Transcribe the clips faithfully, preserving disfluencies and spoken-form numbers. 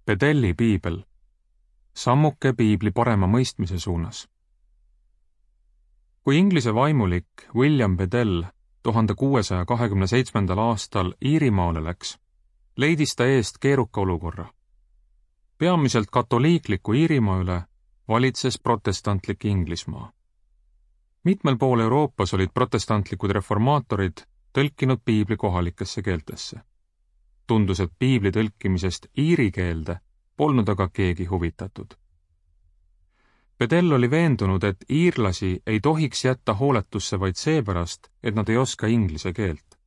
Bedelli piibel. Sammuke piibli parema mõistmise suunas. Kui Inglise vaimulik William Bedell tuhande kuuesaja kahekümne seitsmendal aastal Iirimaale läks, leidis ta eest keeruka olukorra. Peamiselt katoliikliku Iirimaa üle valitses protestantlik Inglismaa. Mitmel pool Euroopas olid protestantlikud reformaatorid tõlkinud piibli kohalikesse keeltesse. Tundus, et piibli tõlkimisest iiri keelde polnud aga keegi huvitatud. Bedell oli veendunud, et iirlasi ei tohiks jätta hooletusse vaid seepärast, et nad ei oska inglise keelt.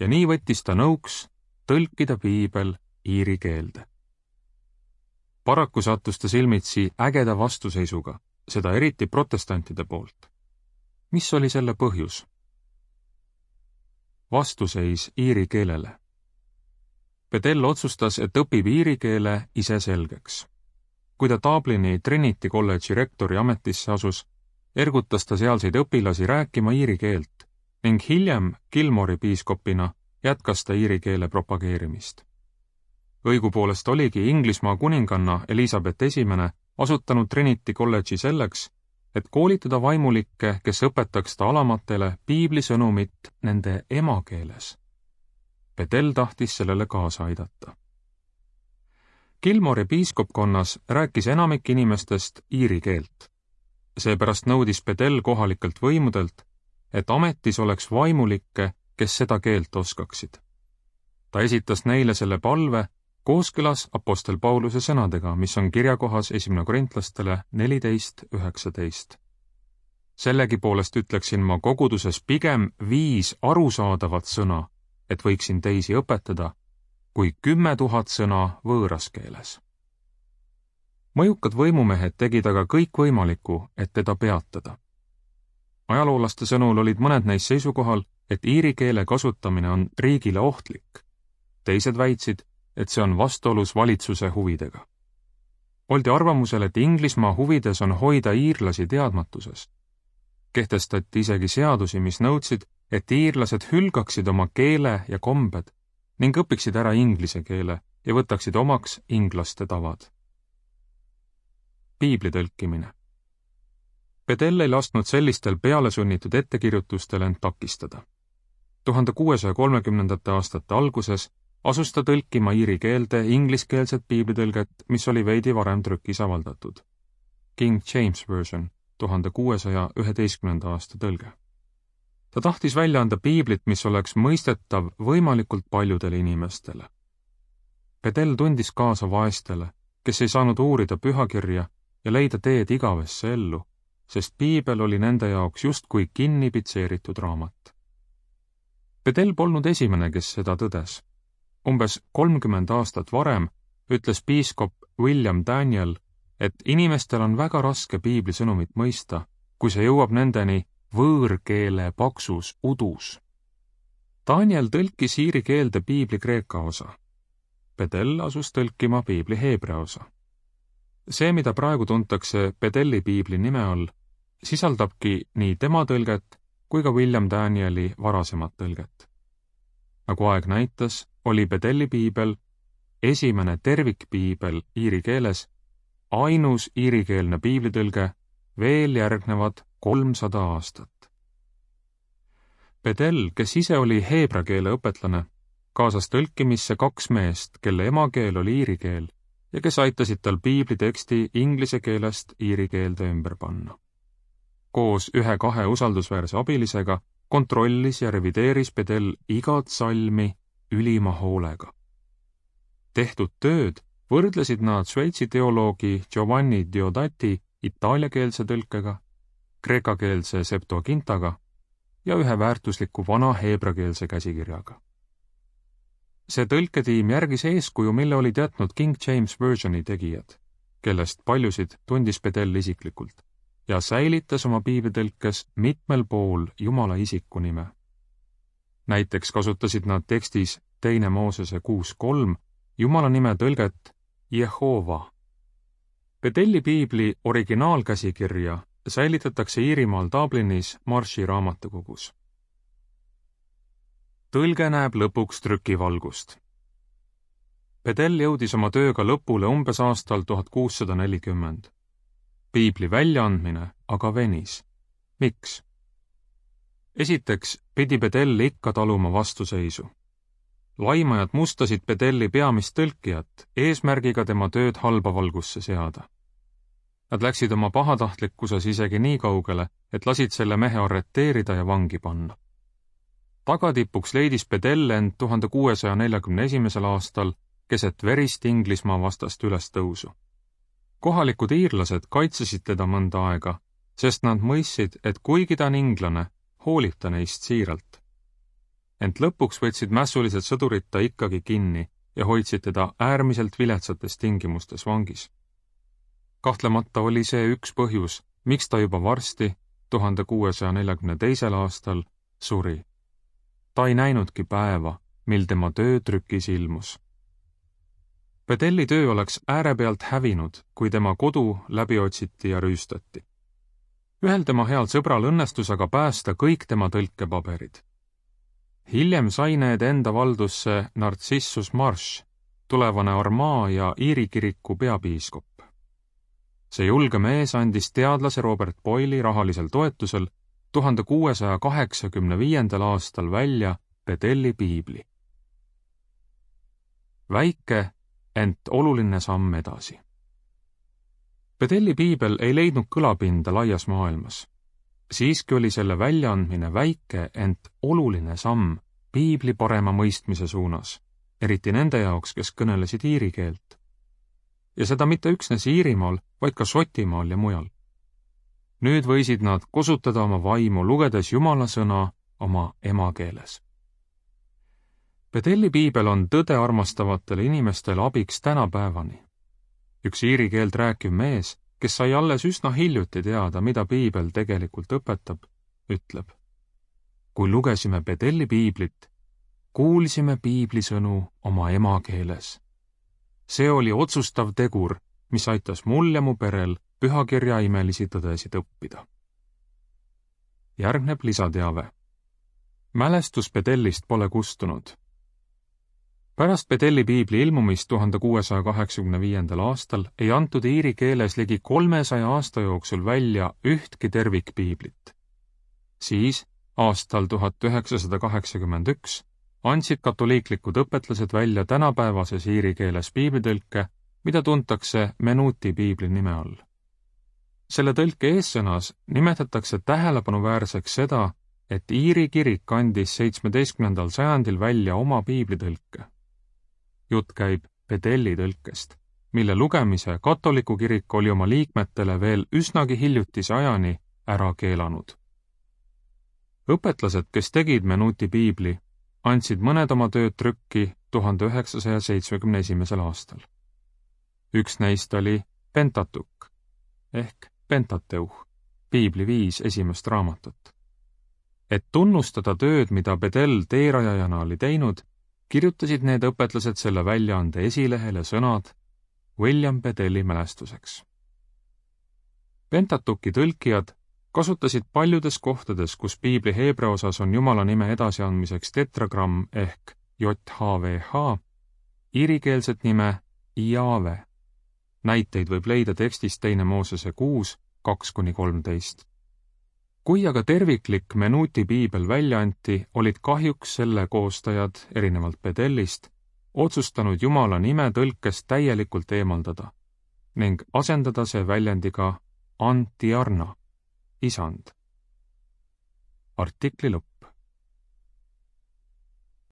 Ja nii võttis ta nõuks tõlkida piibel iiri keelde. Paraku sattus ta silmitsi ägeda vastuseisuga, seda eriti protestantide poolt. Mis oli selle põhjus? Vastuseis iiri keelele. Bedell otsustas, et õpib iiri keele ise selgeks. Kui ta Dublini Trinity kolledži rektori ametisse asus, ergutas ta sealseid õpilasi rääkima iiri keelt ning hiljem Kilmori piiskopina jätkas ta iiri keele propageerimist. Õigupoolest oligi Inglismaa kuninganna Elizabeth esimene asutanud Trinity kolledži selleks, et koolitada vaimulikke, kes õpetaks ta alamatele piibli sõnumit nende emakeeles. Bedell tahtis sellele kaasa aidata. Kilmori piiskopkonnas rääkis enamik inimestest iiri keelt. Seepärast nõudis Bedell kohalikelt võimudelt, et ametis oleks vaimulikke, kes seda keelt oskaksid. Ta esitas neile selle palve kooskõlas apostel Pauluse sõnadega, mis on kirjakohas esimene korintlastele neliteist üheksateist. Sellegi poolest ütleksin ma koguduses pigem viis arusaadavat sõna, et võiksin teisi õpetada, kui kümme tuhat sõna võõras keeles. Mõjukad võimumehed tegid aga kõik võimalikku, et teda peatada. Ajaloolaste sõnul olid mõned neist seisukohal, et iiri keele kasutamine on riigile ohtlik. Teised väitsid, et see on vastuolus valitsuse huvidega. Oldi arvamusel, et Inglismaa huvides on hoida iirlasi teadmatuses. Kehtestati isegi seadusi, mis nõudsid, et iirlased hülgaksid oma keele ja kombed ning õpiksid ära inglise keele ja võtaksid omaks inglaste tavad. Piibli tõlkimine. Bedell ei lasknud sellistel pealesunnitud ettekirjutustel end takistada. tuhande kuuesaja kolmekümnendate aastate alguses asus ta tõlkima iiri keelde ingliskeelset piiblitõlget, mis oli veidi varem trükis avaldatud. King James Version, tuhande kuuesaja üheteistkümnenda aasta tõlge. Ta tahtis välja anda piiblit, mis oleks mõistetav võimalikult paljudele inimestele. Bedell tundis kaasa vaestele, kes ei saanud uurida pühakirja ja leida teed igavesse ellu, sest piibel oli nende jaoks justkui kinni pitseeritud raamat. Bedell polnud esimene, kes seda tõdes. Umbes kolmkümmend aastat varem ütles piiskop William Daniel, et inimestel on väga raske piibli sõnumit mõista, kui see jõuab nendeni võõrkeele paksus udus. Daniel tõlkis iiri keelde piibli kreeka osa. Bedell asus tõlkima piibli heebrea osa. See, mida praegu tuntakse Bedelli piibli nime all, sisaldabki nii tema tõlget kui ka William Danieli varasemat tõlget. Nagu aeg näitas, oli Bedelli piibel esimene tervikpiibel iiri keeles, ainus iirikeelne piiblitõlge veel järgnevad kolmsada aastat. Bedell, kes ise oli heebra keele õpetlane, kaasas tõlkimisse kaks meest, kelle emakeel oli iiri keel ja kes aitasid tal piibli teksti inglise keelest iiri keelde ümber panna. Koos ühe-kahe usaldusväärse abilisega kontrollis ja revideeris Bedell igat salmi ülima hoolega. Tehtud tööd võrdlesid nad Šveitsi teoloogi Giovanni Diodati itaaliakeelse tõlkega, kreekakeelse Septuagintaga ja ühe väärtusliku vana heebrakeelse käsikirjaga. See tõlketiim järgis eeskuju, mille olid jätnud King James Versioni tegijad, kellest paljusid tundis Bedell isiklikult, ja säilitas oma piiblitõlkes mitmel pool Jumala isiku nime. Näiteks kasutasid nad tekstis teine Moosese kuus kolm Jumala nime tõlget Jehova. Bedelli piibli originaalkäsikirja säilitatakse Iirimaal Dublinis Marshi raamatukogus. Tõlge näeb lõpuks trükivalgust. Bedell jõudis oma tööga lõpule umbes aastal tuhat kuussada nelikümmend. Piibli väljaandmine aga venis. Miks? Esiteks pidi Bedell ikka taluma vastuseisu. Laimajad mustasid Bedelli peamist tõlkijat eesmärgiga tema tööd halba valgusse seada. Nad läksid oma pahatahtlikkuses isegi nii kaugele, et lasid selle mehe arreteerida ja vangi panna. Tagatipuks leidis Bedell end tuhande kuuesaja neljakümne esimesel aastal keset verist Inglismaa vastast ülestõusu. Kohalikud iirlased kaitsesid teda mõnda aega, sest nad mõistsid, et kuigi ta on inglane, hoolib ta neist siiralt. Ent lõpuks võtsid mässulised sõdurid ta ikkagi kinni ja hoidsid teda äärmiselt viletsates tingimustes vangis. Kahtlemata oli see üks põhjus, miks ta juba varsti, tuhande kuuesaja neljakümne teisel aastal, suri. Ta ei näinudki päeva, mil tema töö trükis ilmus. Bedelli töö oleks äärepealt hävinud, kui tema kodu läbi otsiti ja rüüstati. Ühel tema heal sõbral õnnestus aga päästa kõik tema tõlkepaberid. Hiljem sai need enda valdusse Narcissus Marsh, tulevane Armagh ja Iiri kiriku peapiiskop. See julge mees andis teadlase Robert Boyle'i rahalisel toetusel tuhande kuuesaja kaheksakümne viiendal aastal välja Bedelli piibli. Väike, ent oluline samm edasi. Bedelli piibel ei leidnud kõlapinda laias maailmas. Siiski oli selle väljaandmine väike, ent oluline samm piibli parema mõistmise suunas, eriti nende jaoks, kes kõnelesid iiri keelt. Ja seda mitte üksnes Iirimaal, vaid ka Šotimaal ja mujal. Nüüd võisid nad kosutada oma vaimu, lugedes Jumala sõna oma emakeeles. Bedelli piibel on tõde armastavatele inimestele abiks tänapäevani. Üks iiri keelt rääkiv mees, kes sai alles üsna hiljuti teada, mida piibel tegelikult õpetab, ütleb: kui lugesime Bedelli piiblit, kuulsime piibli sõnu oma emakeeles. See oli otsustav tegur, mis aitas mul ja mu perel pühakirja imelisi tõdesid õppida. Järgneb lisateave. Mälestus Bedellist pole kustunud. Pärast Bedelli piibli ilmumist tuhande kuuesaja kaheksakümne viiendal aastal ei antud iiri keeles ligi kolmesaja aasta jooksul välja ühtki tervikpiiblit. Siis, aastal tuhat üheksasada kaheksakümmend üks, andsid katoliiklikud õpetlased välja tänapäevases iiri keeles piiblitõlke, mida tuntakse Menuti piibli nime all. Selle tõlke eessõnas nimetatakse tähelepanuväärseks seda, et Iiri kirik andis seitsmeteistkümnendal sajandil välja oma piiblitõlke. Jutt käib Bedelli tõlkest, mille lugemise katoliku kirik oli oma liikmetele veel üsnagi hiljutise ajani ära keelanud. Õpetlased, kes tegid Menuti piibli, andsid mõned oma tööd trükki tuhande üheksasaja seitsmekümne esimesel aastal. Üks neist oli Pentateuch ehk Pentateuch, piibli viis esimest raamatut. Et tunnustada tööd, mida Bedell teerajajana oli teinud, kirjutasid need õpetlased selle väljaande esilehele sõnad William Bedelli mälestuseks. Pentateuchi tõlkijad kasutasid paljudes kohtades, kus piibli heebrea osas on Jumala nime edasiandmiseks tetragramm ehk J H V H, iirikeelset nime Jahve. Näiteid võib leida tekstist teine Moosese kuus, kaks kuni kolmteist. Kui aga terviklik Menuti piibel välja anti, olid kahjuks selle koostajad, erinevalt Bedellist, otsustanud Jumala nime tõlkest täielikult eemaldada ning asendada see väljendiga Antiarna, isand. Artikli lõpp.